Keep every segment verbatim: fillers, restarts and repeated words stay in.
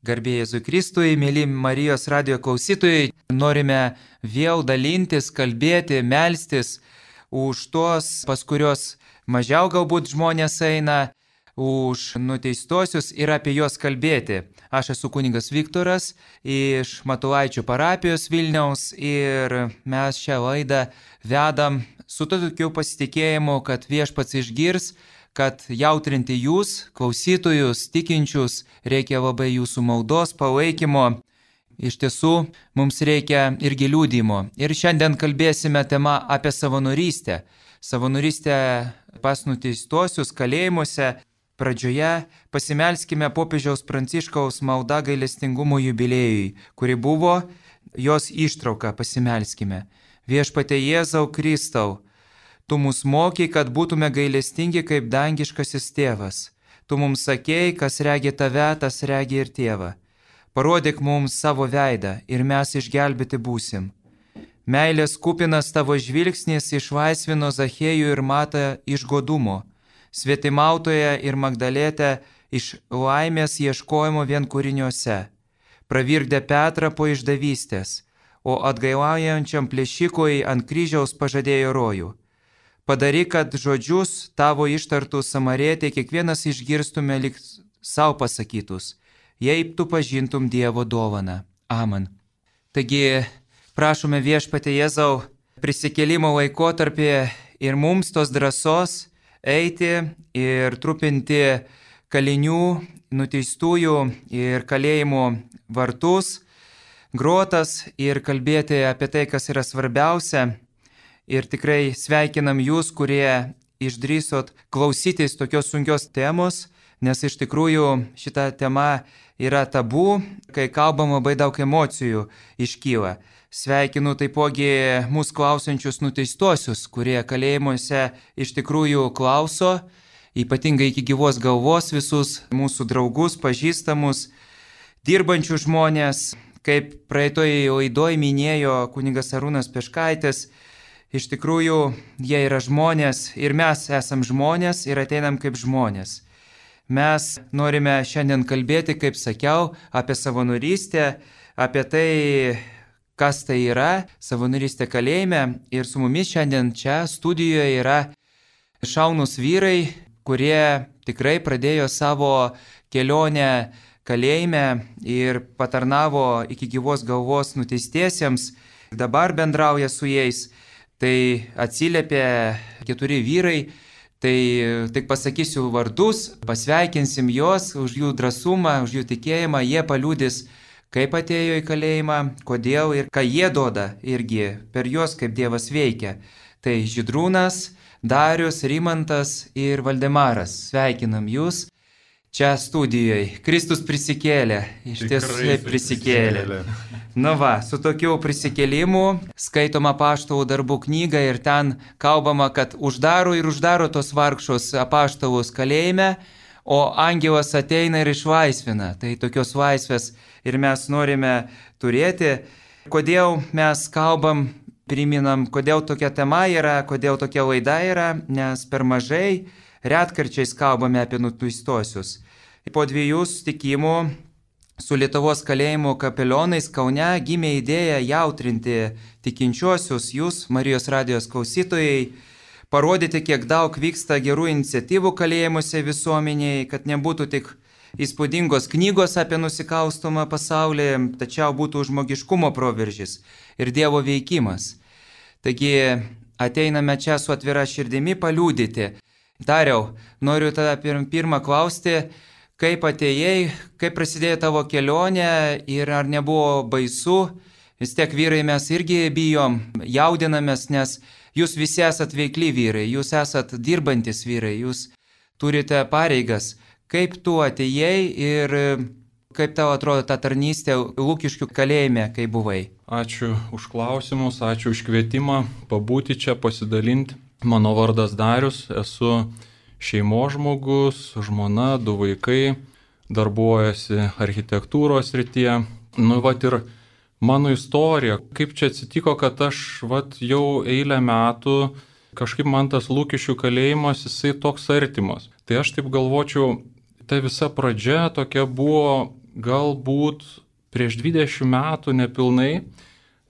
Garbė Jėzui Kristui, mėly Marijos radijo klausytojai, norime vėl dalintis, kalbėti, melstis už tuos, pas kurios mažiau galbūt žmonės eina, už nuteistosius ir apie juos kalbėti. Aš esu kunigas Viktoras iš Matulaičių parapijos Vilniaus ir mes šią laidą vedam su tokiu pasitikėjimu, kad Viešpats išgirs, kad jautrinti jūs, klausytojus, tikinčius, reikia labai jūsų maldos, palaikymo. Iš tiesų, mums reikia irgi liudijimo. Ir šiandien kalbėsime tema apie savanorystę. Savanorystę pas nuteistosius kalėjimuose. Pradžioje pasimelskime popiežiaus Pranciškaus malda gailestingumo jubiliejui, kuri buvo jos ištrauka, pasimelskime. Viešpatie Jėzau Kristau, Tu mus mokai, kad būtume gailestingi kaip dangiškasis tėvas. Tu mums sakėjai, kas regi tave, tas regi ir tėvą. Parodyk mums savo veidą ir mes išgelbėti būsim. Meilės kupinas tavo žvilgsnis išlaisvino Zachėjų ir Matą iš godumo, svetimautoje ir Magdalėtę iš laimės ieškojimo vienkūriniuose. Pravirkdė Petrą po išdavystės, o atgailaujančiam plėšikui ant kryžiaus pažadėjo rojų. Padaryk, kad žodžius tavo ištartus Samarietė kiekvienas išgirstume lyg savo pasakytus, jei tu pažintum Dievo dovaną. Amen. Taigi, prašome Viešpatie Jėzau prisikėlimo laikotarpį ir mums tos drąsos eiti ir trupinti kalinių, nuteistųjų ir kalėjimų vartus, grotas ir kalbėti apie tai, kas yra svarbiausia. Ir tikrai sveikinam jūs, kurie išdrįsot klausytis tokios sunkios temos, nes iš tikrųjų šita tema yra tabu, kai kalbam labai daug emocijų iškyla. Sveikinu taipogi mūsų klausančius nuteistosius, kurie kalėjimuose iš tikrųjų klauso, ypatingai iki gyvos galvos visus mūsų draugus, pažįstamus, dirbančių žmonės, kaip praeitoj laidoj minėjo kunigas Arūnas Peškaitis. Iš tikrųjų, jie yra žmonės ir mes esam žmonės ir ateinam kaip žmonės. Mes norime šiandien kalbėti, kaip sakiau, apie savanorystę, apie tai, kas tai yra, savanorystė kalėjime. Ir su mumis šiandien čia studijoje yra šaunūs vyrai, kurie tikrai pradėjo savo kelionę kalėjime ir patarnavo iki gyvos galvos nuteistiesiems, dabar bendrauja su jais. Tai atsiliepė keturi vyrai, tai tik pasakysiu vardus, pasveikinsim juos už jų drąsumą, už jų tikėjimą, jie paliudys, kaip atėjo į kalėjimą, kodėl ir ką jie duoda irgi per juos, kaip Dievas veikia. Tai Žydrūnas, Darius, Rimantas ir Valdemaras. Sveikinam jūs čia studijoje. Kristus prisikėlė, iš tiesų prisikėlė. Na va, su tokiu prisikėlimu skaitoma apaštalų darbų knyga ir ten kalbama, kad uždaro ir uždaro tos vargšus apaštalus kalėjime, o angelas ateina ir išlaisvina. Tai tokios laisvės ir mes norime turėti. Kodėl mes kalbam, priminam, kodėl tokia tema yra, kodėl tokia laida yra, nes per mažai retkarčiais kalbame apie nuteistosius. Po dviejų susitikimų su Lietuvos kalėjimų kapelionais Kaune gimė idėja jautrinti tikinčiuosius, jūs, Marijos radijos klausytojai, parodyti, kiek daug vyksta gerų iniciatyvų kalėjimuose visuomeniai, kad nebūtų tik įspūdingos knygos apie nusikalstamą pasaulį, tačiau būtų žmogiškumo proveržis ir Dievo veikimas. Taigi ateiname čia su atvira širdimi paliudyti. Dariau, noriu tada pirmą klausti, kaip atėjai, kaip prasidėjo tavo kelionė ir ar nebuvo baisu? Vis tiek vyrai mes irgi bijom, jaudinamės, nes jūs visi esat veikli vyrai, jūs esat dirbantis vyrai, jūs turite pareigas. Kaip tu atėjai ir kaip tau atrodo ta tarnystė Lukiškių kalėjime, kai buvai? Ačiū už klausimus, ačiū už kvietimą pabūti čia, pasidalinti. Mano vardas Darius, esu šeimos žmogus, žmona, du vaikai, darbuojasi architektūros srityje. Nu, vat ir mano istorija, kaip čia atsitiko, kad aš vat jau eilę metų, kažkaip man tas Lukiškių kalėjimas, jisai toks artimas. Tai aš taip galvočiau, ta visa pradžia tokia buvo galbūt prieš dvidešimt metų nepilnai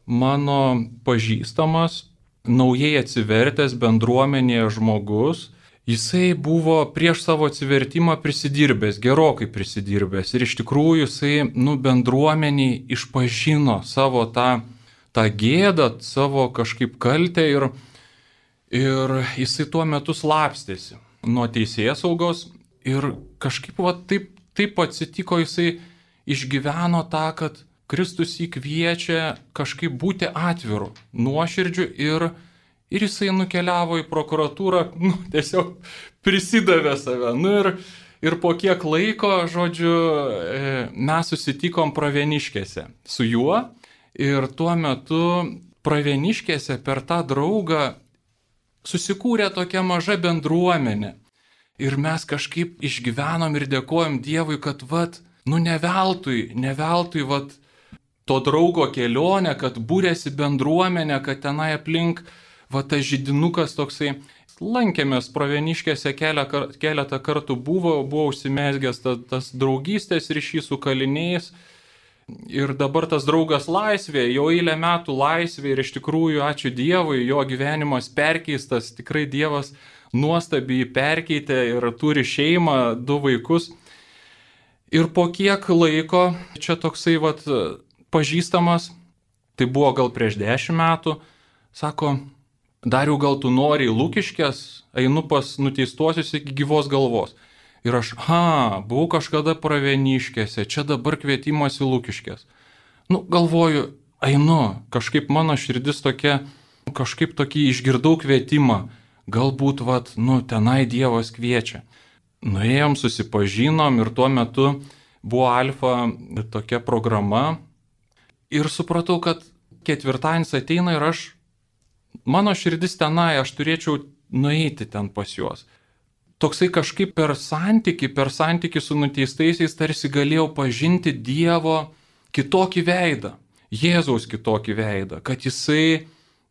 mano pažįstamas, naujai atsivertęs bendruomenėje žmogus, jisai buvo prieš savo atsivertimą prisidirbęs, gerokai prisidirbęs. Ir iš tikrųjų jisai, nu, bendruomeniai išpažino savo tą, tą gėdą, savo kažkaip kaltę ir, ir jisai tuo metu slapstėsi nuo teisėsaugos ir kažkaip va, taip, taip atsitiko, jisai išgyveno tą, kad Kristus jį kviečia kažkaip būti atviru, nuoširdžiu ir Ir jisai nukeliavo į prokuratūrą, nu, tiesiog prisidavė save. Nu, ir, ir po kiek laiko, žodžiu, mes susitikom Pravieniškėse su juo. Ir tuo metu Pravieniškėse per tą draugą susikūrė tokia maža bendruomenė. Ir mes kažkaip išgyvenom ir dėkojom Dievui, kad, vat, nu, ne veltui, ne veltui, vat, to draugo kelionė, kad būrėsi bendruomenė, kad tenai aplink va tas židinukas toksai, lankėmės Pravieniškėse keletą kartų buvo, buvo užsimezgęs tas, tas draugystės ryšys su kaliniais ir dabar tas draugas laisvėje, jo eilę metų laisvėje ir iš tikrųjų ačiū Dievui, jo gyvenimas perkeistas, tikrai Dievas nuostabiai perkeitė ir turi šeimą, du vaikus. Ir po kiek laiko čia toksai vat pažįstamas, tai buvo gal prieš dešimt metų, sako, Dariau, gal tu nori į Lukiškes, einu pas nuteistuosius iki gyvos galvos. Ir aš, ha, buvau kažkada Pravieniškėse, čia dabar kvietimas į Lukiškes. Nu, galvoju, einu, kažkaip mano širdis tokia, kažkaip tokį išgirdau kvietimą, galbūt, vat, nu, tenai Dievas kviečia. Nuėjom, susipažinom ir tuo metu buvo Alfa tokia programa ir supratau, kad ketvirtadienis ateina ir aš mano širdis tenai, aš turėčiau nueiti ten pas juos. Toksai kažkaip per santykį, per santykį su nuteistaisiais tarsi galėjau pažinti Dievo kitokį veidą, Jėzaus kitokį veidą, kad jisai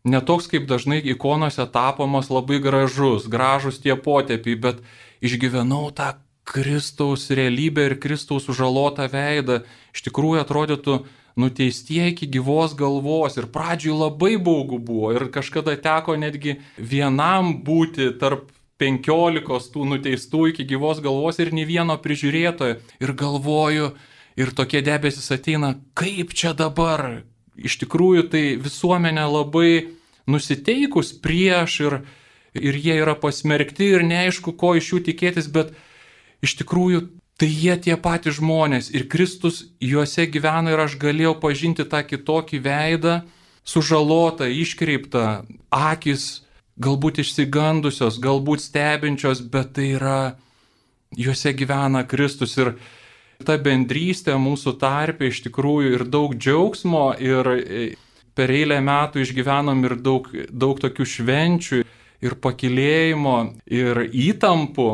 netoks kaip dažnai ikonose tapomas labai gražus, gražus tie potėpiai, bet išgyvenau tą Kristaus realybę ir Kristaus sužalotą veidą. Iš tikrųjų atrodytų, nuteistieji iki gyvos galvos ir pradžioj labai baugu buvo ir kažkada teko netgi vienam būti tarp penkiolikos tų nuteistų iki gyvos galvos ir nei vieno prižiūrėtojo ir galvoju ir tokie debesis ateina, kaip čia dabar. Iš tikrųjų tai visuomenė labai nusiteikus prieš ir, ir jie yra pasmerkti ir neaišku, ko iš jų tikėtis, bet iš tikrųjų tai jie tie patys žmonės ir Kristus juose gyvena ir aš galėjau pažinti tą kitokį veidą, sužalotą, iškreiptą, akis galbūt išsigandusios, galbūt stebinčios, bet tai yra, juose gyvena Kristus ir ta bendrystė mūsų tarpe iš tikrųjų ir daug džiaugsmo ir per eilę metų išgyvenom ir daug, daug tokių švenčių ir pakylėjimo ir įtampų.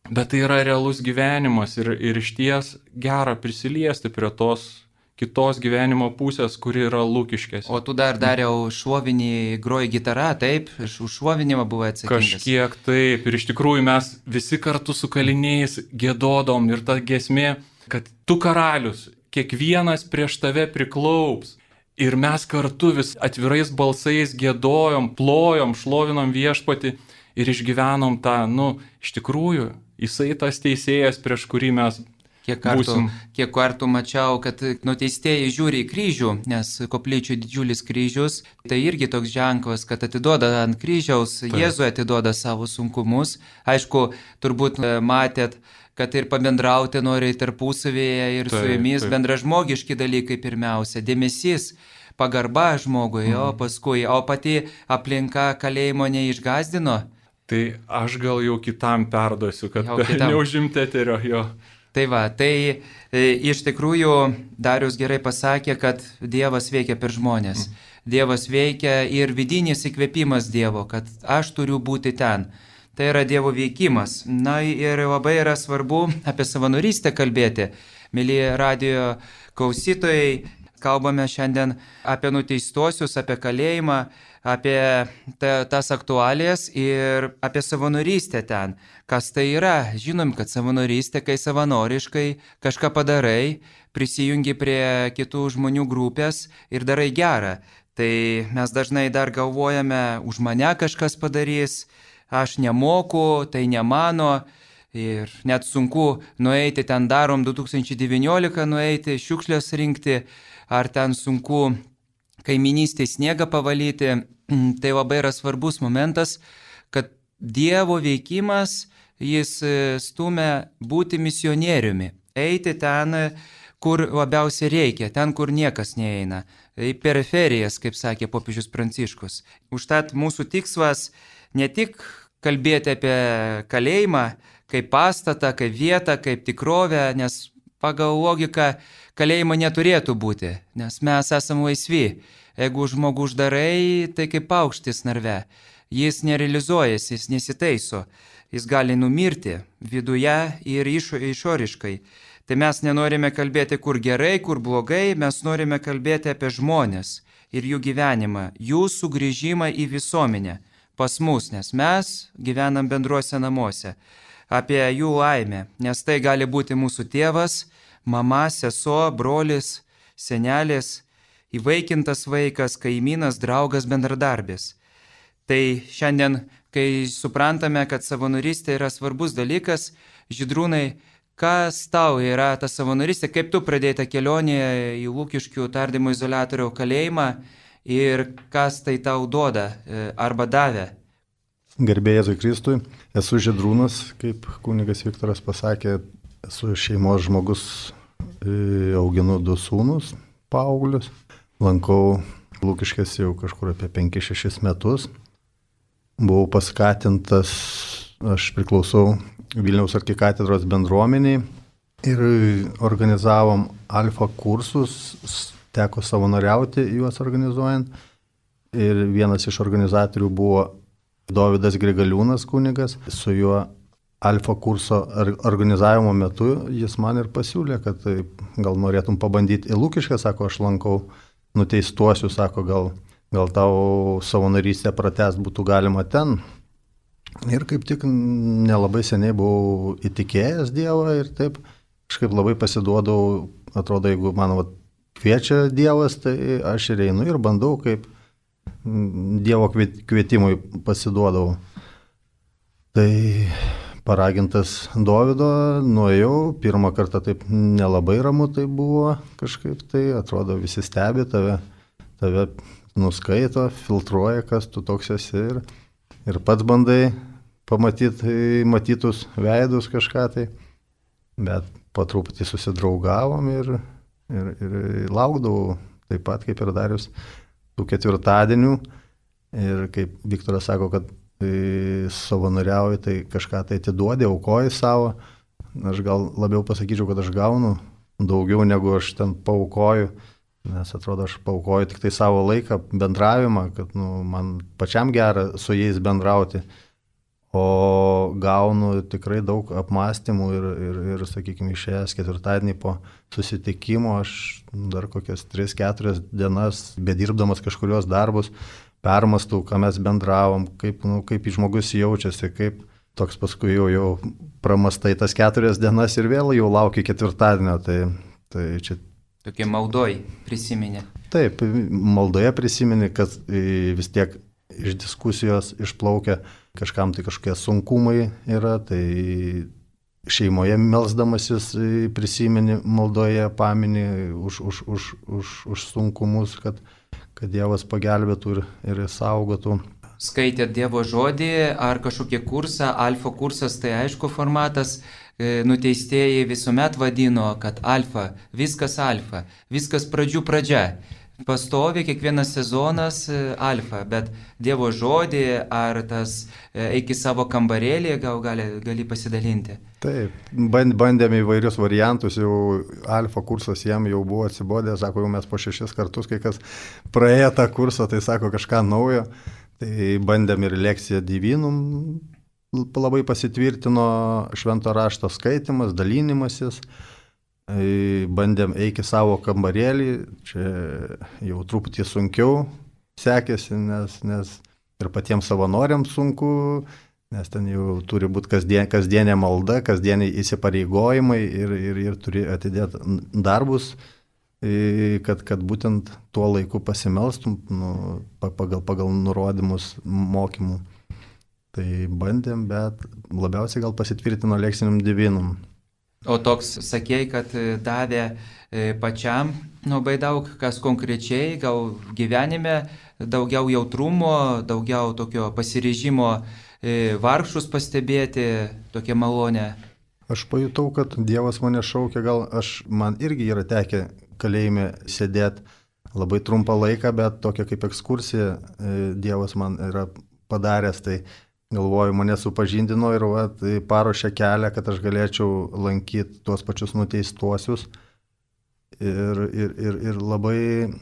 Bet tai yra realus gyvenimas ir, ir išties gera prisiliesti prie tos kitos gyvenimo pusės, kuri yra Lukiškėse. O tu dar dariau šovinį, groji gitarą, taip? Už šovinimą buvo atsakingas. Kažkiek taip. Ir iš tikrųjų mes visi kartu su kaliniais gėdodom ir ta giesmė, kad tu karalius, kiekvienas prieš tave priklaups. Ir mes kartu vis atvirais balsais gėdojom, plojom, šlovinom Viešpatį ir išgyvenom tą, nu, iš tikrųjų, jisai tas teisėjas, prieš kurį mes kiek kartų, būsim. Kiek kartų mačiau, kad nuteistieji žiūri į kryžių, nes koplyčių didžiulis kryžius, tai irgi toks ženklas, kad atiduoda ant kryžiaus, tai Jėzui atiduoda savo sunkumus. Aišku, turbūt matėt, kad ir pabendrauti nori tarpusavėje ir tai, su jumis tai. Bendražmogiški dalykai pirmiausia, dėmesys, pagarba žmogui, mm. o paskui, o pati aplinka kalėjimo neišgazdino. Tai aš gal jau kitam perduosiu, kad neužimti eterio jo. Tai va, tai e, iš tikrųjų Darius gerai pasakė, kad Dievas veikia per žmonės. Mm. Dievas veikia ir vidinis įkvėpimas Dievo, kad aš turiu būti ten. Tai yra Dievo veikimas. Na ir labai yra svarbu apie savanorystę kalbėti. Mėly radijo klausytojai, kalbame šiandien apie nuteistuosius, apie kalėjimą, apie ta, tas aktualijas ir apie savanorystę ten. Kas tai yra? Žinom, kad savanorystė, kai savanoriškai kažką padarai, prisijungi prie kitų žmonių grupės ir darai gerą. Tai mes dažnai dar galvojame, už mane kažkas padarys, aš nemoku, tai ne mano. Ir net sunku nueiti, ten darom du tūkstančiai devyniolika nueiti, šiukšlės rinkti, ar ten sunku kaiminystėje sniegą pavalyti. Tai labai yra svarbus momentas, kad Dievo veikimas, jis stumia būti misionieriumi, eiti ten, kur labiausiai reikia, ten, kur niekas neeina, į periferijas, kaip sakė popiežius Pranciškus. Užtat mūsų tikslas ne tik kalbėti apie kalėjimą, kaip pastatą, kaip vietą, kaip tikrovę, nes pagal logiką kalėjimo neturėtų būti, nes mes esame laisvi. Jeigu žmogų uždarai, tai kaip paukštis narve. Jis nerealizuojasi, jis nesitaiso, jis gali numirti viduje ir išo, išoriškai. Tai mes nenorime kalbėti, kur gerai, kur blogai, mes norime kalbėti apie žmonės ir jų gyvenimą, jų sugrįžimą į visuomenę pas mus, nes mes gyvenam bendruose namuose. Apie jų laimę, nes tai gali būti mūsų tėvas, mama, sesuo, brolis, senelis, įvaikintas vaikas, kaimynas, draugas, bendradarbis. Tai šiandien, kai suprantame, kad savanorystė yra svarbus dalykas, Žydrūnai, kas tau yra ta savanorystė, kaip tu pradėjai tą kelionę į Lukiškių tardymo izoliatorių kalėjimą ir kas tai tau duoda arba davė? Garbė Jėzui Kristui, esu Žydrūnas, kaip kunigas Viktoras pasakė, esu šeimos žmogus, auginu du sūnus, paauglius, lankau Lukiškės jau kažkur apie penkis šešis metus, buvau paskatintas, aš priklausau Vilniaus arkikatedros bendruomeniai ir organizavom alfa kursus, teko savanoriauti juos organizuojant ir vienas iš organizatorių buvo Dovydas Grigaliūnas kunigas, su juo alfa kurso organizavimo metu jis man ir pasiūlė, kad gal norėtum pabandyti į Lukiškę, sako, aš lankau nuteistuosiu, sako, gal, gal tau savanorystę pratęst būtų galima ten. Ir kaip tik nelabai seniai buvau įtikėjęs Dievą ir taip kažkaip labai pasiduodau, atrodo, jeigu man vat, kviečia Dievas, tai aš ir einu ir bandau kaip Dievo kvietimui pasiduodavau. Tai paragintas Dovydo, nuėjau, pirmą kartą taip nelabai ramu tai buvo, kažkaip tai atrodo visi stebi tave, tave nuskaito, filtruoja, kas tu toks esi ir, ir pats bandai pamatyti matytus veidus kažką tai, bet po truputį susidraugavom ir, ir, ir laukdavau taip pat kaip ir Darius tų ketvirtadienių ir kaip Viktoras sako, kad tai savanoriauji, tai kažką tai atiduodi, aukoji savo. Aš gal labiau pasakyčiau, kad aš gaunu daugiau negu aš ten paaukoju, nes atrodo, aš paaukoju tik tai savo laiką, bendravimą, kad nu, man pačiam gera su jais bendrauti, o gaunu tikrai daug apmąstymų ir, ir, ir sakykime, išėjęs ketvirtadienį po susitikimo, aš dar kokias tris keturias dienas, bedirbdamas kažkurios darbus, permastau, ką mes bendravom, kaip, nu, kaip žmogus jaučiasi, kaip toks paskui jau, jau pramastai tas keturias dienas ir vėl jau laukia ketvirtadienio. Tai, tai čia... Tokie maldoj prisiminė. Taip, maldoje prisiminė, kad vis tiek iš diskusijos išplaukia kažkam tai kažkokie sunkumai yra, tai šeimoje melsdamasis prisimeni maldoje, pamini už, už, už, už, už sunkumus, kad kad Dievas pagelbėtų ir, ir saugotų. Skaitėt Dievo žodį ar kažkokį kursą, alfa kursas, tai aišku formatas, nuteistieji visuomet vadino, kad alfa, viskas alfa, viskas pradžių pradžia. Pastovi kiekvienas sezonas alfa, bet Dievo žodį ar tas eik į savo kambarėlį, gal gali, gali pasidalinti. Taip, bandėme įvairius variantus, jau alfa kursas jam jau buvo atsibodė, sako, jau mes po šešis kartus, kai kas praėjo tą kursą, tai sako kažką naujo, tai bandėme ir lekciją Divinum, labai pasitvirtino švento rašto skaitimas, dalinimasis, bandėm eiti savo kambarėlį, čia jau truputį sunkiau sekėsi, nes, nes ir patiems savanoriams sunku, nes ten jau turi būti kasdien, kasdienė malda, kasdieniai įsipareigojimai ir, ir, ir turi atidėti darbus, kad, kad būtent tuo laiku pasimelstum nu, pagal, pagal nurodymus mokymų. Tai bandėm, bet labiausiai gal pasitvirtino leksinium divinum. O toks sakėjai, kad davė pačiam labai daug, kas konkrečiai, gal gyvenime daugiau jautrumo, daugiau tokio pasiryžimo vargšus pastebėti, tokia malonė. Aš pajutau, kad Dievas mane šaukia, gal aš, man irgi yra tekę kalėjime sėdėti labai trumpą laiką, bet tokia kaip ekskursija Dievas man yra padaręs, tai galvoju, mane supažindino ir va, tai paruošė kelią, kad aš galėčiau lankyti tuos pačius nuteistuosius. Ir, ir, ir, ir labai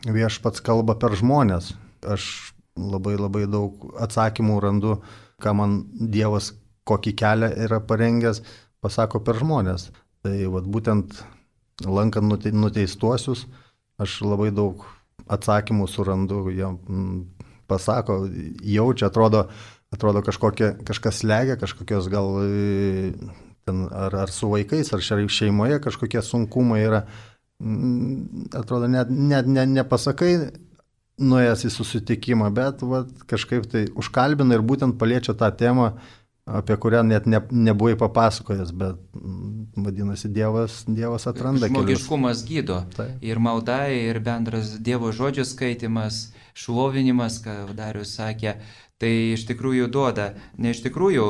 viešpats kalba per žmonės. Aš labai labai daug atsakymų randu, ką man Dievas kokį kelią yra parengęs, pasako per žmonės. Tai va, būtent lankant nuteistuosius, aš labai daug atsakymų surandu, jie pasako, jaučia, atrodo, Atrodo kažkokie, kažkas slegia, kažkokios gal ten, ar, ar su vaikais, ar šeimoje kažkokie sunkumai yra. Atrodo, net, net ne, nepasakai nuėjęs į susitikimą, bet va, kažkaip tai užkalbina ir būtent paliečia tą temą, apie kurią net ne, nebuvai papasakojęs, bet vadinasi, Dievas, Dievas atranda kelius. Žmogiškumas gydo. Tai. Ir malda, ir bendras Dievo žodžio skaitimas, šlovinimas, ką Darius sakė, tai iš tikrųjų duoda. Ne iš tikrųjų,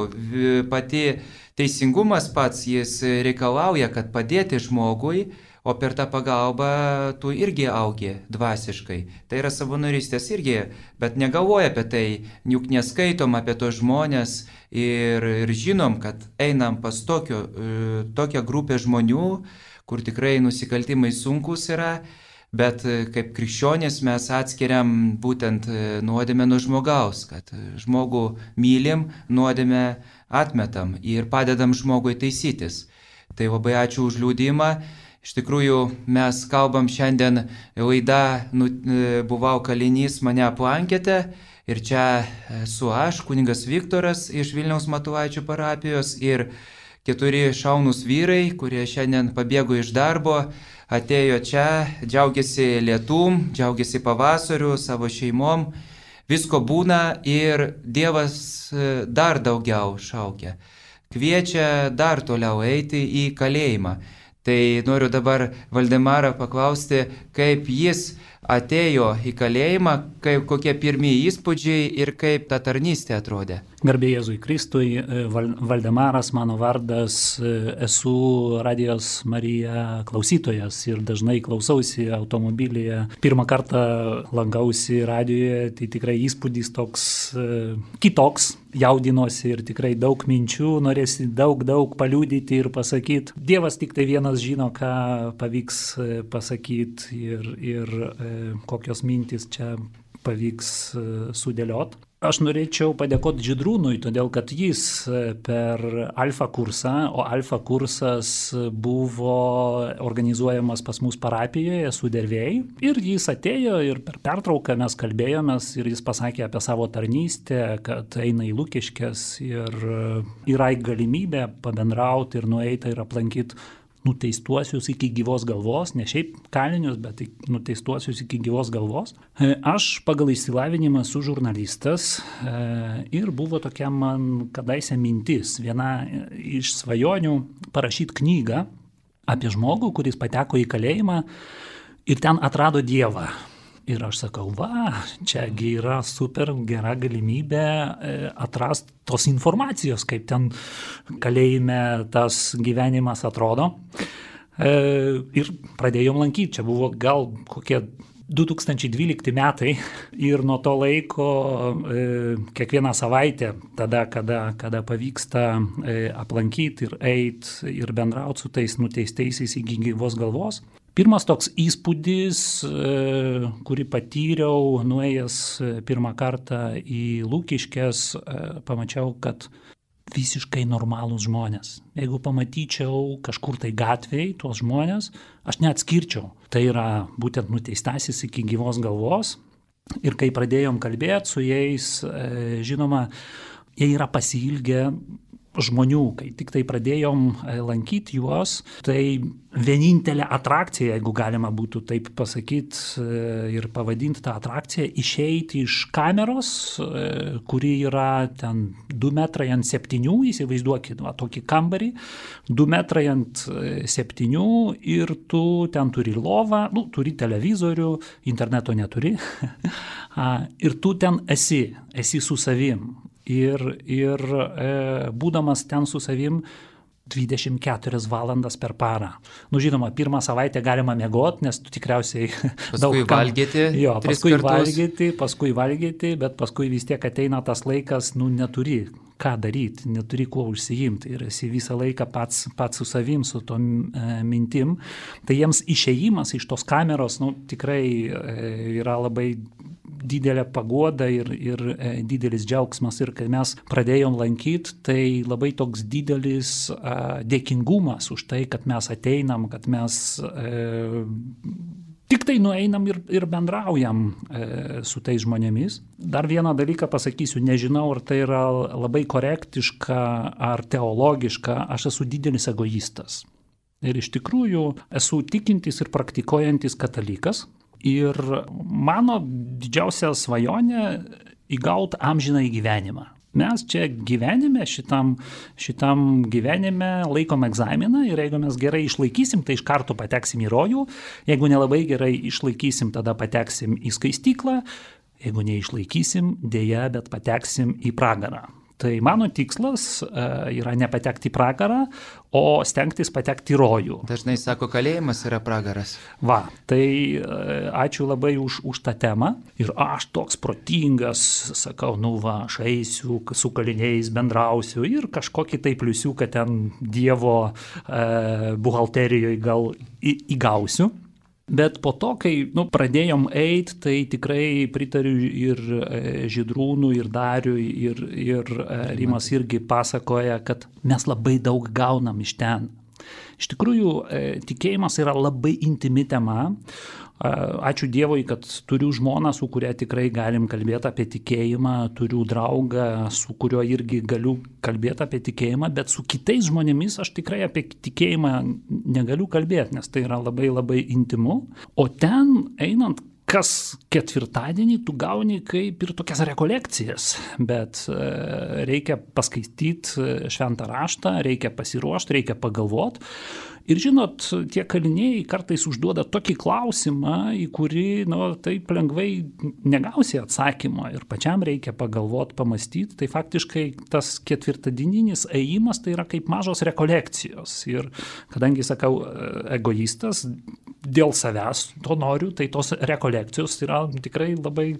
pati teisingumas pats, jis reikalauja, kad padėti žmogui, o per tą pagalbą tu irgi augi dvasiškai. Tai yra savanorystės irgi, bet negalvoja apie tai, juk neskaitom apie tos žmonės ir, ir žinom, kad einam pas tokio, tokią grupę žmonių, kur tikrai nusikaltimai sunkus yra, bet kaip krikščionys mes atskiriam būtent nuodėmę nuo žmogaus, kad žmogų mylim, nuodėmę atmetam ir padedam žmogui taisytis. Tai labai ačiū už liudymą. Iš tikrųjų, mes kalbam šiandien laida, nu, buvau kalinys, mane aplankėte ir čia esu aš, kunigas Viktoras iš Vilniaus Matulaičių parapijos ir keturi šaunūs vyrai, kurie šiandien pabėgo iš darbo, atėjo čia, džiaugiasi lietum, džiaugiasi pavasariu, savo šeimom, visko būna ir Dievas dar daugiau šaukia. Kviečia dar toliau eiti į kalėjimą. Tai noriu dabar Valdemarą paklausti, kaip jis atėjo į kalėjimą, kaip, kokie pirmieji įspūdžiai ir kaip ta tarnystė atrodė. Garbė Jėzui Kristui, Valdemaras mano vardas, esu Radijos Marija klausytojas ir dažnai klausausi automobilyje. Pirmą kartą lankausi radijoje, tai tikrai įspūdis toks kitoks, jaudinosi ir tikrai daug minčių, norėsi daug, daug paliudyti ir pasakyti. Dievas tik tai vienas žino, ką pavyks pasakyti ir, ir kokios mintis čia pavyks sudėliot. Aš norėčiau padėkoti Žydrūnui, todėl kad jis per Alfa kursą, o Alfa kursas buvo organizuojamas pas mus parapijoje, Sudervėjai, ir jis atėjo ir per pertrauką mes kalbėjomės ir jis pasakė apie savo tarnystę, kad eina į Lukiškes ir yra galimybė pabendrauti ir nueiti ir aplankyti nuteistuosius iki gyvos galvos, ne šiaip kalinius, bet nuteistuosius iki gyvos galvos. Aš pagal išsilavinimą esu žurnalistas ir buvo tokia man kadaise mintis, viena iš svajonių parašyti knygą apie žmogų, kuris pateko į kalėjimą ir ten atrado Dievą. Ir aš sakau, va, čiagi yra super gera galimybė atrasti tos informacijos, kaip ten kalėjime tas gyvenimas atrodo. Ir pradėjom lankyti, čia buvo gal kokie du tūkstančiai dvylikti metai ir nuo to laiko kiekvieną savaitę, tada, kada, kada pavyksta aplankyti ir eiti ir bendrauti su tais nuteistaisiais iki gyvos galvos. Pirmas toks įspūdis, kurį patyriau, nuėjęs pirmą kartą į Lukiškes, pamačiau, kad visiškai normalūs žmonės. Jeigu pamatyčiau kažkur tai gatvėj tuos žmonės, aš neatskirčiau. Tai yra būtent nuteistasis iki gyvos galvos. Ir kai pradėjom kalbėti su jais, žinoma, jie yra pasiilgę žmonių. Kai tik tai pradėjom lankyti juos, tai vienintelė atrakcija, jeigu galima būtų taip pasakyti ir pavadinti tą atrakciją, išeiti iš kameros, kuri yra ten du metrai ant septynių, įsivaizduokit, va, tokį kambarį, du metrai ant septynių ir tu ten turi lovą, nu, turi televizorių, interneto neturi, ir tu ten esi, esi su savim. Ir, ir e, būdamas ten su savim dvidešimt keturias valandas per parą. Nu, žinoma, pirmą savaitę galima miegoti, nes tu tikriausiai paskui daug kam... valgyti, jo, paskui kartus. valgyti, paskui valgyti, bet paskui vis tiek ateina tas laikas, nu, neturi ką daryti, neturi kuo užsiimti ir esi visą laiką pats, pats su savim, su tom e, mintim. Tai jiems išėjimas iš tos kameros, nu, tikrai e, yra labai didelė paguoda ir, ir e, didelis džiaugsmas. Ir kai mes pradėjom lankyti, tai labai toks didelis e, dėkingumas už tai, kad mes ateinam, kad mes e, tik tai nueinam ir, ir bendraujam e, su tais žmonėmis. Dar vieną dalyką pasakysiu, nežinau, ar tai yra labai korektiška ar teologiška, aš esu didelis egoistas. Ir iš tikrųjų esu tikintis ir praktikuojantis katalikas. Ir mano didžiausia svajonė įgauti amžiną gyvenimą. Mes čia gyvenime, šitam, šitam gyvenime laikom egzaminą ir jeigu mes gerai išlaikysim, tai iš karto pateksim į rojų. Jeigu nelabai gerai išlaikysim, tada pateksim į skaistyklą. Jeigu neišlaikysim, dėja, bet pateksim į pragarą. Tai mano tikslas uh, yra nepatekti į pragarą, o stengtis patekti į rojų. Dažnai sako, kalėjimas yra pragaras. Va, tai uh, ačiū labai už, už tą temą. Ir aš toks protingas, sakau, nu va, aš eisiu, su kaliniais bendrausiu ir kažkokį tai pliusiuką ten Dievo uh, buhalterijoje gal į, įgausiu. Bet po to, kai nu, pradėjom eiti, tai tikrai pritariu ir Žydrūnui, ir Dariui, ir, ir Rimas irgi pasakoja, kad mes labai daug gaunam iš ten. Iš tikrųjų, tikėjimas yra labai intimi tema. Ačiū Dievui, kad turiu žmoną, su kuria tikrai galim kalbėti apie tikėjimą, turiu draugą, su kuriuo irgi galiu kalbėti apie tikėjimą, bet su kitais žmonėmis aš tikrai apie tikėjimą negaliu kalbėti, nes tai yra labai labai intimu. O ten einant kas ketvirtadienį tu gauni kaip ir tokias rekolekcijas, bet reikia paskaityti šventą raštą, reikia pasiruošti, reikia pagalvoti. Ir žinot, tie kaliniai kartais užduoda tokį klausimą, į kurį, nu, taip lengvai negausi atsakymą ir pačiam reikia pagalvoti, pamastyti. Tai faktiškai tas ketvirtadieninis ėjimas tai yra kaip mažos rekolekcijos. Ir kadangi, sakau, egoistas, dėl savęs to noriu, tai tos rekolekcijos yra tikrai labai,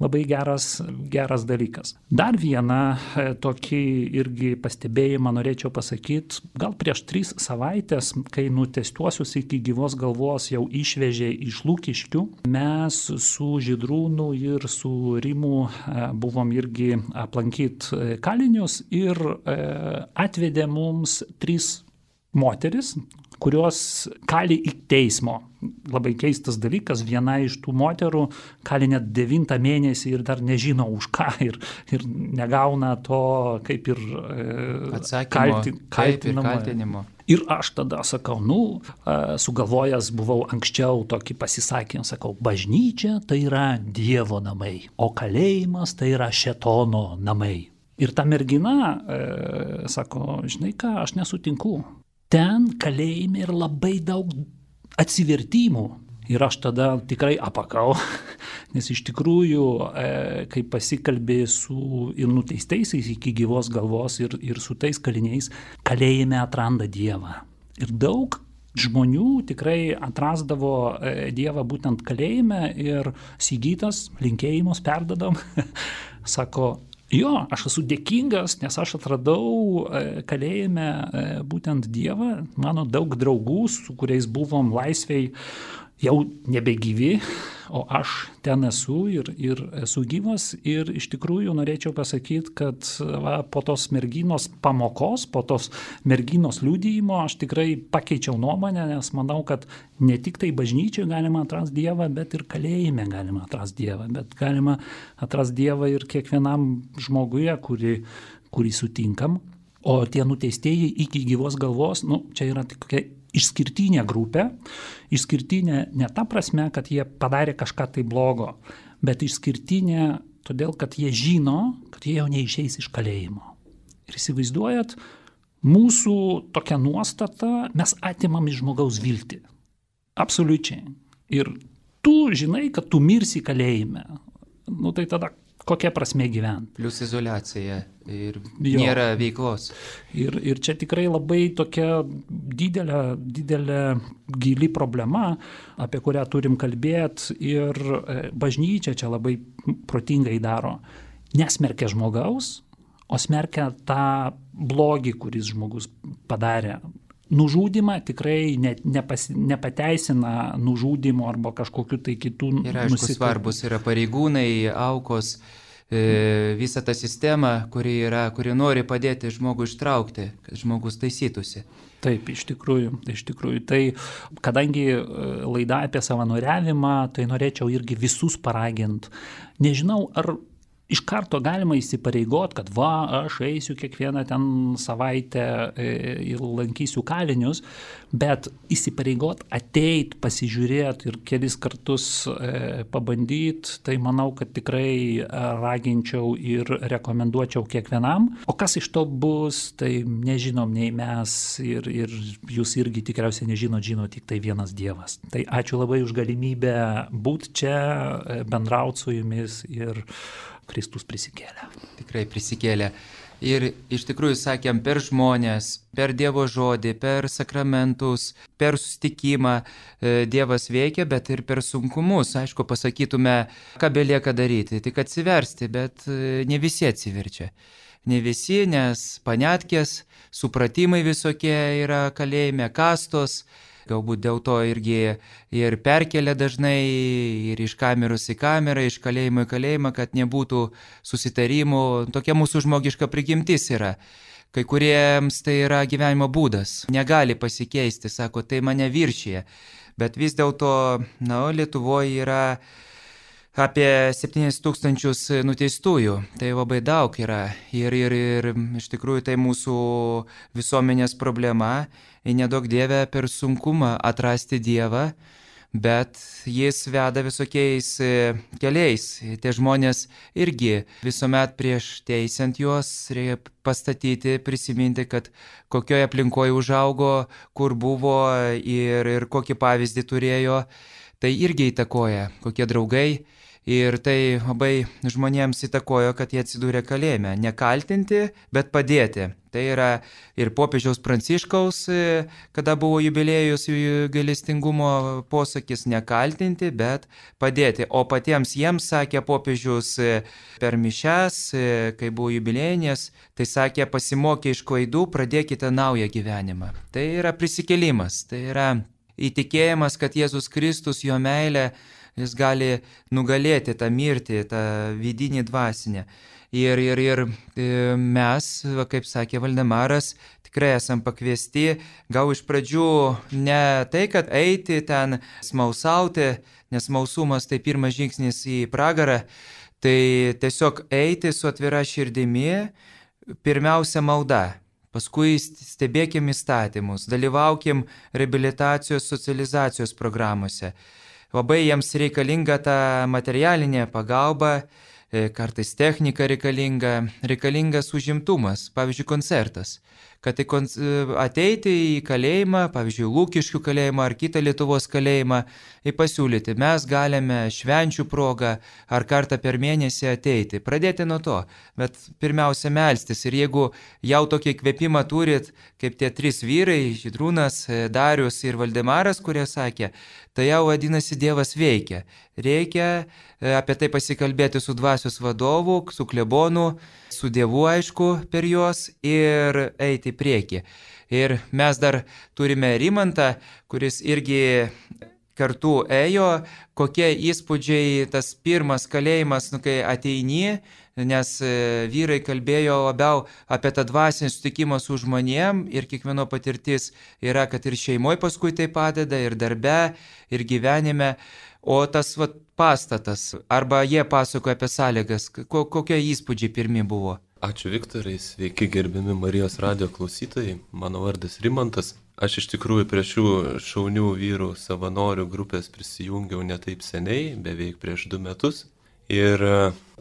labai geras, geras dalykas. Dar vieną tokį irgi pastebėjimą norėčiau pasakyti, gal prieš tris savaitės, kai nuteistuosius iki gyvos galvos jau išvežė iš Lukiškių, mes su Žydrūnu ir su Rimu buvom irgi aplankyti kalinius ir atvedė mums tris moteris, kurios kali iki teismo. Labai keistas dalykas, viena iš tų moterų kali net devintą mėnesį ir dar nežino už ką ir, ir negauna to kaip ir atsakymo, kalti, kaip ir kaltinimo. Ir aš tada sakau, nu, sugalvojęs buvau anksčiau tokį pasisakymą, sakau, bažnyčia tai yra Dievo namai, o kalėjimas tai yra šėtono namai. Ir ta mergina e, sako, žinai ką, aš nesutinku. Ten kalėjime yra labai daug atsivertimų. Ir aš tada tikrai apakau, nes iš tikrųjų, e, kai pasikalbė su ir nuteistaisiais iki gyvos galvos ir, ir su tais kaliniais, kalėjime atranda Dievą. Ir daug žmonių tikrai atrasdavo e, Dievą būtent kalėjime ir Sigitas, linkėjimus perdadam, sako, jo, aš esu dėkingas, nes aš atradau kalėjime būtent Dievą. Mano daug draugų, su kuriais buvom laisvėj, jau nebegyvi, o aš ten esu ir, ir esu gyvas ir iš tikrųjų norėčiau pasakyti, kad va, po tos merginos pamokos, po tos merginos liudijimo aš tikrai pakeičiau nuomonę, nes manau, kad ne tik tai bažnyčiai galima atrasti Dievą, bet ir kalėjime galima atrasti Dievą, bet galima atrasti Dievą ir kiekvienam žmoguje, kurį, kurį sutinkam. O tie nuteistieji iki gyvos galvos, nu, čia yra tik kokia išskirtinė grupė, išskirtinė ne ta prasme, kad jie padarė kažką tai blogo, bet išskirtinė todėl, kad jie žino, kad jie jau neišeis iš kalėjimo. Ir įsivaizduojat, mūsų tokia nuostata, mes atimam iš žmogaus viltį. Absoliučiai. Ir tu žinai, kad tu mirsi kalėjime. Nu tai tada kokia prasmė gyventi. Plius izoliacija ir Jo. nėra veiklos. Ir, ir čia tikrai labai tokia didelė, didelė gili problema, apie kurią turim kalbėti ir bažnyčia čia labai protingai daro. Nesmerkia žmogaus, o smerkia tą blogį, kuris žmogus padarė. Nužudimą tikrai ne, nepas, nepateisina nužudimo arba kažkokiu tai kitų Ir aišku, nusikaltimų. svarbus yra pareigūnai, aukos, e, visa ta sistema, kuri, yra, kuri nori padėti žmogui ištraukti, kad žmogus taisytųsi. Taip, iš tikrųjų, iš tikrųjų. Tai kadangi laida apie savanoriavimą, tai norėčiau irgi visus paraginti. Nežinau, ar iš karto galima įsipareigot, kad va, aš eisiu kiekvieną ten savaitę ir lankysiu kalinius, bet įsipareigot, ateit, pasižiūrėti ir kelis kartus pabandyti, tai manau, kad tikrai raginčiau ir rekomenduočiau kiekvienam. O kas iš to bus, tai nežinom nei mes ir, ir jūs irgi tikriausiai nežinot, žino tik tai vienas Dievas. Tai ačiū labai už galimybę būti čia, bendrauti su jumis ir Kristus prisikėlė. Tikrai prisikėlė. Ir iš tikrųjų sakėm, per žmonės, per Dievo žodį, per sakramentus, per susitikimą Dievas veikia, bet ir per sunkumus. Aišku, pasakytume, ką belieka daryti, tik atsiversti, bet ne visi atsiverčia. Ne visi, nes panetkės, supratimai visokie yra kalėjime, kastos, galbūt dėl to irgi ir perkelia dažnai ir iš kameros į kamerą, iš kalėjimo į kalėjimą, kad nebūtų susitarimų. Tokia mūsų žmogiška prigimtis yra. Kai kuriems tai yra gyvenimo būdas. Negali pasikeisti, sako, tai mane viršyje. Bet vis dėlto, na, Lietuvoje yra apie septynis tūkstančius nuteistųjų. Tai labai daug yra. Ir, ir, ir iš tikrųjų tai mūsų visuomenės problema. Ir nedaug Dieve per sunkumą atrasti Dievą, bet jis veda visokiais keliais. Tie žmonės irgi visuomet prieš teisiant juos reikia pastatyti, prisiminti, kad kokioje aplinkoje užaugo, kur buvo ir, ir kokį pavyzdį turėjo. Tai irgi įtakoja, kokie draugai. Ir tai labai žmonėms įtakojo, kad jie atsidūrė kalėjime. Nekaltinti, bet padėti. Tai yra ir popiežiaus Pranciškaus, kada buvo jubiliejus gailestingumo posakis, nekaltinti, bet padėti. O patiems jiems sakė popiežius per mišias, kai buvo jubiliejinės, tai sakė, pasimokė iš klaidų, pradėkite naują gyvenimą. Tai yra prisikėlimas, tai yra įtikėjimas, kad Jėzus Kristus, jo meilė, jis gali nugalėti tą mirtį, tą vidinį dvasinę. Ir, ir, ir mes, kaip sakė Valdemaras, tikrai esam pakviesti, gal iš pradžių ne tai, kad eiti ten smalsauti, nes smalsumas tai pirmas žingsnis į pragarą, tai tiesiog eiti su atvira širdimi, pirmiausia malda. Paskui stebėkim įstatymus, dalyvaukim reabilitacijos, socializacijos programuose. Labai jiems reikalinga ta materialinė pagalba, kartais technika reikalinga, reikalingas užimtumas, pavyzdžiui, koncertas. Kad ateiti į kalėjimą, pavyzdžiui, Lukiškių kalėjimą ar kitą Lietuvos kalėjimą, ir pasiūlyti, mes galime švenčių progą ar kartą per mėnesį ateiti. Pradėti nuo to, bet pirmiausia melstis. Ir jeigu jau tokį kvėpimą turit, kaip tie trys vyrai, Žydrūnas, Darius ir Valdemaras, kurie sakė, tai jau vadinasi Dievas veikia. Reikia apie tai pasikalbėti su dvasios vadovu, su klebonu, su Dievu aišku per juos ir eiti į priekį. Ir mes dar turime Rimantą, kuris irgi kartų ėjo, kokie įspūdžiai tas pirmas kalėjimas, nu, kai ateini, nes vyrai kalbėjo labiau apie tą dvasinį sutikimą su žmonėm ir kiekvieno patirtis yra, kad ir šeimoje paskui tai padeda, ir darbe, ir gyvenime. O tas vat, pastatas, arba jie pasakoja apie sąlygas, ko, kokie įspūdžiai pirmi buvo? Ačiū Viktorai, sveiki gerbiami Marijos radijo klausytojai, mano vardas Rimantas. Aš iš tikrųjų prie šių šaunių vyrų savanorių grupės prisijungiau ne taip seniai, beveik prieš du metus. Ir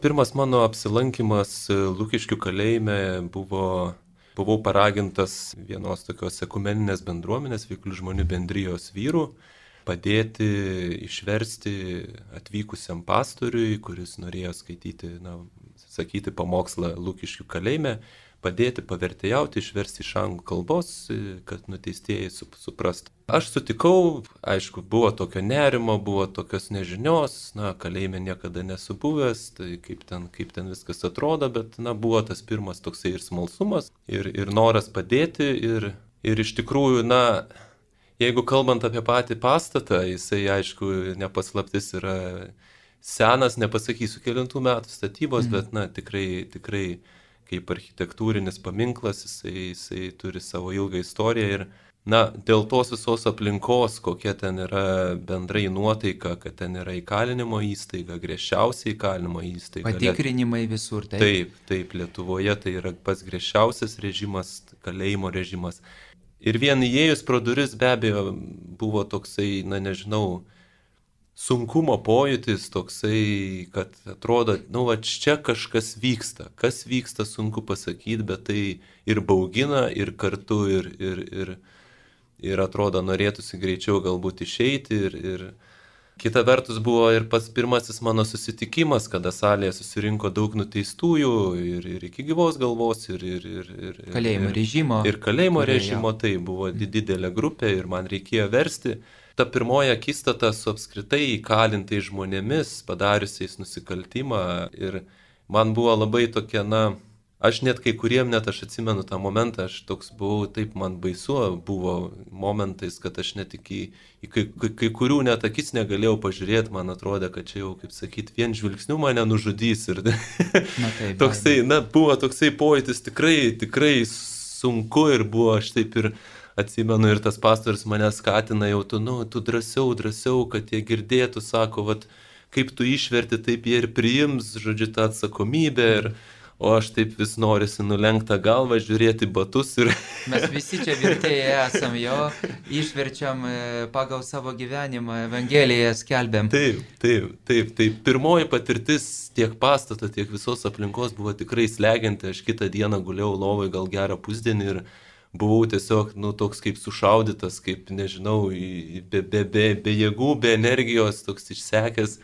pirmas mano apsilankimas Lukiškių kalėjime buvo, buvau paragintas vienos tokios ekumeninės bendruomenės, veiklių žmonių bendrijos vyrų, padėti išversti atvykusiam pastoriui, kuris norėjo skaityti, na, sakyti pamokslą Lukiškių kalėjime, padėti pavertėjauti, išversti iš anglų kalbos, kad nuteistieji suprastų. Aš sutikau, aišku, buvo tokio nerimo, buvo tokios nežinios, na, kalėjime niekada nesu buvęs, tai kaip ten, kaip ten viskas atrodo, bet, na, buvo tas pirmas toksai ir smalsumas, ir, ir noras padėti, ir, ir iš tikrųjų, na, jeigu kalbant apie patį pastatą, jisai, aišku, nepaslaptis yra senas, nepasakysiu kelintų metų statybos, mm. bet, na, tikrai, tikrai kaip architektūrinis paminklas, jisai, jisai turi savo ilgą istoriją ir, na, dėl tos visos aplinkos, kokia ten yra bendrai nuotaika, kad ten yra įkalinimo įstaiga, griežčiausia įkalinimo įstaiga. Patikrinimai visur, taip. Taip, taip, Lietuvoje tai yra pats griežčiausias režimas, kalėjimo režimas. Ir vien įėjus pro duris be abejo buvo toksai, na nežinau, sunkumo pojūtis toksai, kad atrodo, nu va čia kažkas vyksta. Kas vyksta, sunku pasakyti, bet tai ir baugina, ir kartu, ir, ir, ir, ir atrodo norėtųsi greičiau galbūt išeiti. Ir, ir kita vertus buvo ir pats pirmasis mano susitikimas, kada salėje susirinko daug nuteistųjų ir, ir iki gyvos galvos, ir, ir, ir, ir kalėjimo režimo. Ir kalėjimo režimo, tai buvo didelė grupė ir man reikėjo versti. Ta pirmoji akistata su apskritai įkalintais žmonėmis, padariusiais nusikaltimą ir man buvo labai tokia, na, aš net kai kuriem, net aš atsimenu tą momentą, aš toks buvau, taip man baisu buvo momentais, kad aš net iki, į kai, kai, kai kurių net akis negalėjau pažiūrėti, man atrodė, kad čia jau, kaip sakyti, vien žvilgsniu mane nužudys ir na, taip, toksai, na, buvo toksai pojūtis tikrai, tikrai sunku ir buvo aš taip ir atsimenu ir tas pastorius mane skatina jau, tu, nu, tu drąsiau, drąsiau, kad jie girdėtų, sako, vat, kaip tu išverti, taip jie ir priims, žodžiu, tą atsakomybę, ir, o aš taip vis norisi nulenktą galvą, žiūrėti batus ir... Mes visi čia vertėjai esam, jo, išverčiam pagal savo gyvenimą, Evangeliją skelbiam. Taip, taip, taip, taip. Pirmoji patirtis tiek pastato, tiek visos aplinkos buvo tikrai slegianti, aš kitą dieną guliau lovai gal gerą pusdienį ir buvau tiesiog, nu, toks kaip sušaudytas, kaip, nežinau, be, be, be, be jėgų, be energijos, toks išsekęs.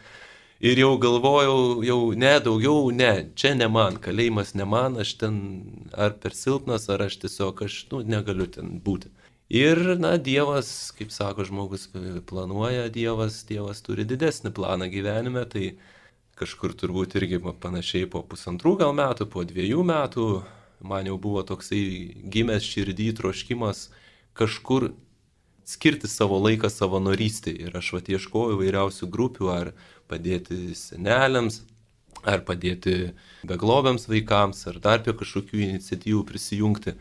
Ir jau galvojau, jau ne, daugiau, ne, čia ne man, kalėjimas ne man, aš ten ar per silpnas, ar aš tiesiog, aš, nu, negaliu ten būti. Ir, na, Dievas, kaip sako žmogus, planuoja, Dievas, Dievas turi didesnį planą gyvenime, tai kažkur turbūt irgi panašiai po pusantrų gal metų, po dviejų metų, man jau buvo toksai gimęs širdį troškimas kažkur skirti savo laiką savanorystei. Ir aš vat ieškojau įvairiausių grupių, ar padėti seneliams, ar padėti beglobiams vaikams, ar dar prie kažkokių iniciatyvų prisijungti.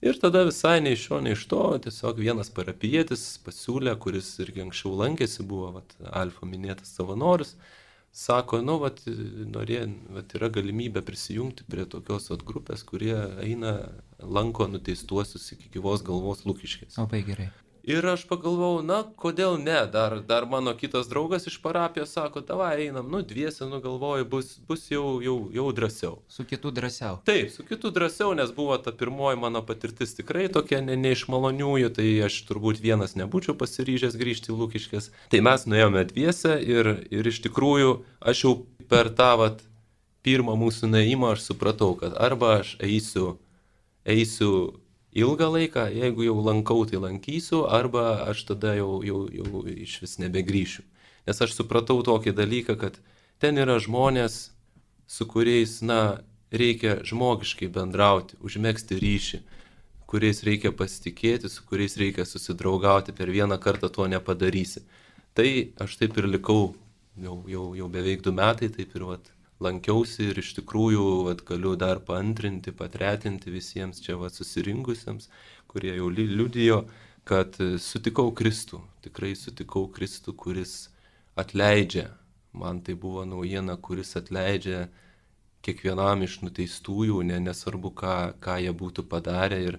Ir tada visai nei iš šio, nei iš to, tiesiog vienas parapijietis pasiūlė, kuris irgi anksčiau lankėsi, buvo vat, Alfa minėtas savanorius, sako, nu, vat, norė, vat, yra galimybė prisijungti prie tokios vat, grupės, kurie eina, lanko nuteistuosius iki gyvos galvos Lukiškės. Labai gerai. Ir aš pagalvojau, na, kodėl ne, dar, dar mano kitas draugas iš parapijos sako, davai einam, nu, dviese, nu, galvoju, bus, bus jau, jau, jau drąsiau. Su kitu drąsiau. Taip, su kitu drąsiau, nes buvo ta pirmoji mano patirtis tikrai tokia ne, ne iš maloniųjų, tai aš turbūt vienas nebūčiau pasiryžęs grįžti į Lukiškės. Tai mes nuėjome dviese ir, ir iš tikrųjų aš jau per tą vat, pirmą mūsų nuėjimą aš supratau, kad arba aš eisiu, eisiu ilgą laiką, jeigu jau lankau, tai lankysiu, arba aš tada jau, jau, jau iš vis nebegrįšiu. Nes aš supratau tokį dalyką, kad ten yra žmonės, su kuriais, na, reikia žmogiškai bendrauti, užmegzti ryšį, kuriais reikia pasitikėti, su kuriais reikia susidraugauti, per vieną kartą to nepadarysi. Tai aš taip ir likau, jau, jau, jau beveik du metai, taip ir vat, lankiausi ir iš tikrųjų vat, galiu dar paantrinti, patretinti visiems čia vat, susirinkusiems, kurie jau liudijo, kad sutikau Kristų, tikrai sutikau Kristų, kuris atleidžia. Man tai buvo naujiena, kuris atleidžia kiekvienam iš nuteistųjų, ne, nesvarbu, ką, ką jie būtų padarę. Ir,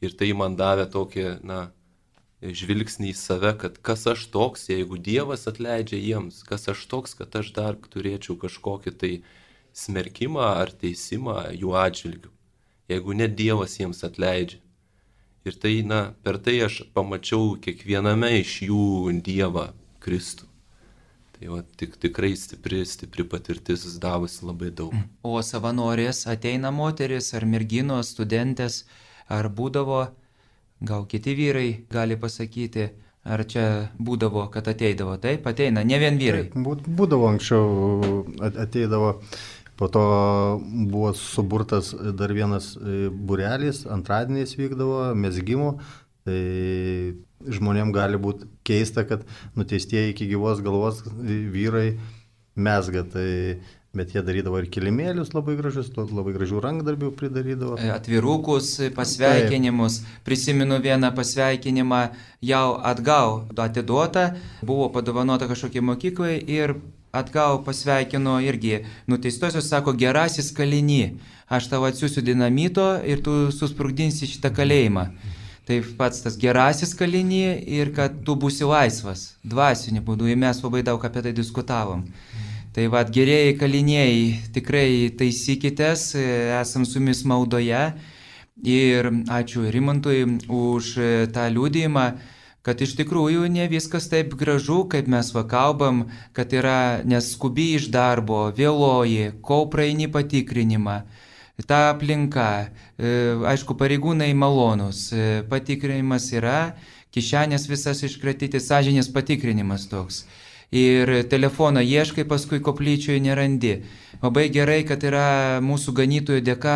ir tai man davė tokį, na, žvilgsnį į save, kad kas aš toks, jeigu Dievas atleidžia jiems, kas aš toks, kad aš dar turėčiau kažkokį tai smerkimą ar teisimą jų atžvilgių, jeigu net Dievas jiems atleidžia. Ir tai, na, per tai aš pamačiau kiekviename iš jų Dievą, Kristų. Tai va, tik, tikrai stipri, stipri patirtis davusi labai daug. O savanorės ateina moteris ar merginos, studentės, ar būdavo, gal kiti vyrai gali pasakyti, ar čia būdavo, kad ateidavo, taip, ateina, ne vien vyrai. Taip, būdavo anksčiau, ateidavo, po to buvo suburtas dar vienas būrelis, antradieniais vykdavo, mezgimo. Tai žmonėm gali būti keista, kad nuteistieji iki gyvos galvos vyrai mezga, tai, bet jie darydavo ir kilimėlius labai gražius, labai gražių rankdarbių pridarydavo. Atvirukus, pasveikinimus. Taip. Prisimenu vieną pasveikinimą jau atgal atiduotą, buvo padovanota kažkokiai mokyklai ir atgal pasveikino irgi nuteistosios, sako, gerasis kaliny, aš tau atsiųsiu dinamito ir tu susprogdinsi šitą kalėjimą. Tai pats tas gerasis kaliny ir kad tu būsi laisvas, dvasiniu būdu, ir mes labai daug apie tai diskutavom. Tai vad, gerieji kaliniai, tikrai taisykitės, esam su jumis maldoje ir ačiū Rimantui už tą liudijimą, kad iš tikrųjų ne viskas taip gražu, kaip mes va kalbam, kad yra neskubi iš darbo, vėloji, kol praeini patikrinimą. Ta aplinka, aišku, pareigūnai malonus, patikrinimas yra, kišenės visas iškratyti, sąžinės patikrinimas toks. Ir telefoną ieškai, paskui koplyčioje nerandi. Labai gerai, kad yra mūsų ganytojų dėka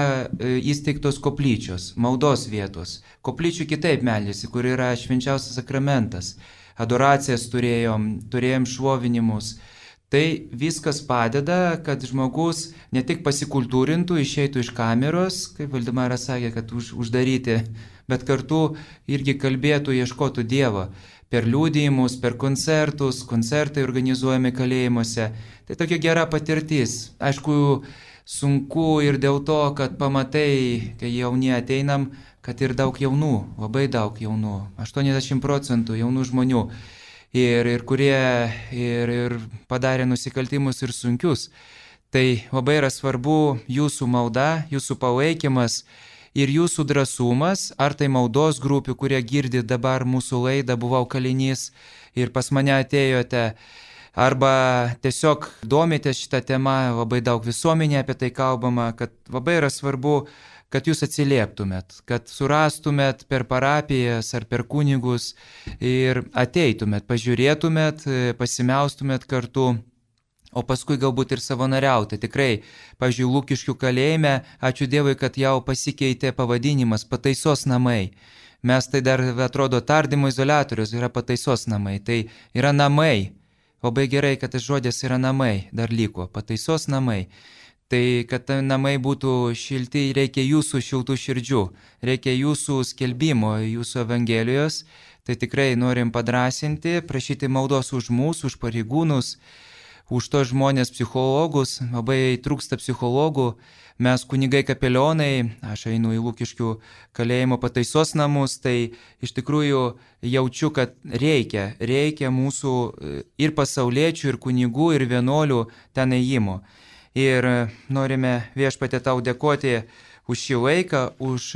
įsteigtos koplyčios, maldos vietos. Koplyčių kitaip meldėsi, kur yra švenčiausias sakramentas. Adoracijas turėjom, turėjom šlovinimus. Tai viskas padeda, kad žmogus ne tik pasikultūrintų, išeitų iš kameros, kaip Valdemaras sakė, kad už, uždaryti, bet kartu irgi kalbėtų, ieškotų Dievo. Per liudijimus, per koncertus, koncertai organizuojami kalėjimuose. Tai tokia gera patirtis. Aišku, sunku ir dėl to, kad pamatai, kai jauni ateinam, kad ir daug jaunų, labai daug jaunų, aštuoniasdešimt procentų jaunų žmonių. Ir, ir kurie ir, ir padarė nusikaltimus ir sunkius. Tai labai yra svarbu jūsų malda, jūsų palaikymas ir jūsų drąsumas, ar tai maldos grupių, kurie girdi dabar mūsų laidą, buvau kalinys ir pas mane atėjote, arba tiesiog domitės šitą temą, labai daug visuomenė apie tai kalbama, kad labai yra svarbu, kad jūs atsilieptumėt, kad surastumėt per parapijas ar per kunigus ir ateitumėt, pažiūrėtumėt, pasimeustumėt kartu, o paskui galbūt ir savanoriauti. Tikrai, pavyzdžiui, Lukiškių kalėjime, ačiū Dievui, kad jau pasikeitė pavadinimas pataisos namai. Mes tai dar atrodo tardymo izoliatorius, yra pataisos namai. Tai yra namai. Labai gerai, kad tas žodis yra namai, dar liko, pataisos namai. Tai kad namai būtų šilti, reikia jūsų šiltų širdžių, reikia jūsų skelbimo, jūsų evangelijos. Tai tikrai norim padrasinti, prašyti maldos už mūsų, už pareigūnus, už tos žmonės psichologus, labai trūksta psichologų. Mes kunigai kapelionai, aš einu į Lukiškių kalėjimo pataisos namus, tai iš tikrųjų jaučiu, kad reikia, reikia mūsų ir pasauliečių, ir kunigų, ir vienuolių ten ėjimo. Ir norime Viešpatie tau dėkoti už šį laiką, už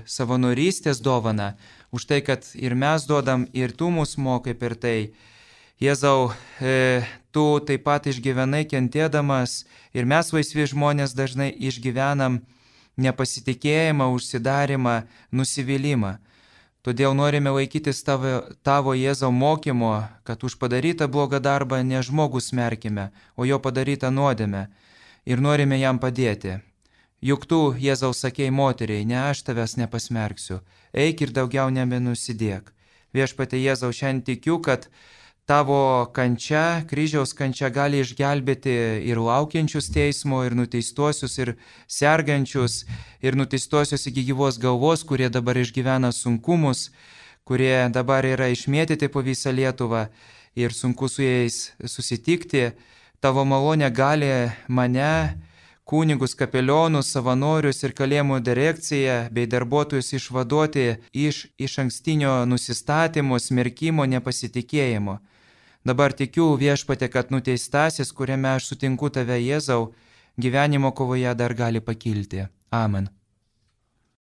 savanorystės dovaną, už tai, kad ir mes duodam, ir tu mus mokai per tai. Jėzau, tu taip pat išgyvenai kentėdamas ir mes laisvi žmonės dažnai išgyvenam nepasitikėjimą, užsidarimą, nusivylimą. Todėl norime laikytis tavo, tavo Jėzau mokymo, kad už padarytą blogą darbą ne žmogus smerkime, o jo padarytą nuodėmę. Ir norime jam padėti. Juk tu, Jėzau, sakei moteriai, ne aš tavęs nepasmerksiu, eik ir daugiau nebenusidėk. Viešpatie Jėzau, šiandien tikiu, kad tavo kančia, kryžiaus kančia gali išgelbėti ir laukiančius teismo, ir nuteistuosius, ir sergančius, ir nuteistuosius iki gyvos galvos, kurie dabar išgyvena sunkumus, kurie dabar yra išmėtyti po visą Lietuvą ir sunku su jais susitikti. Tavo malonė gali mane, kunigus, kapelionus, savanorius ir kalėjimų direkciją bei darbuotojus išvaduoti iš iš ankstinio nusistatymo, smerkimo, nepasitikėjimo. Dabar tikiu, Viešpatie, kad nuteistasis, kuriame aš sutinku tave, Jėzau, gyvenimo kovoje dar gali pakilti. Amen.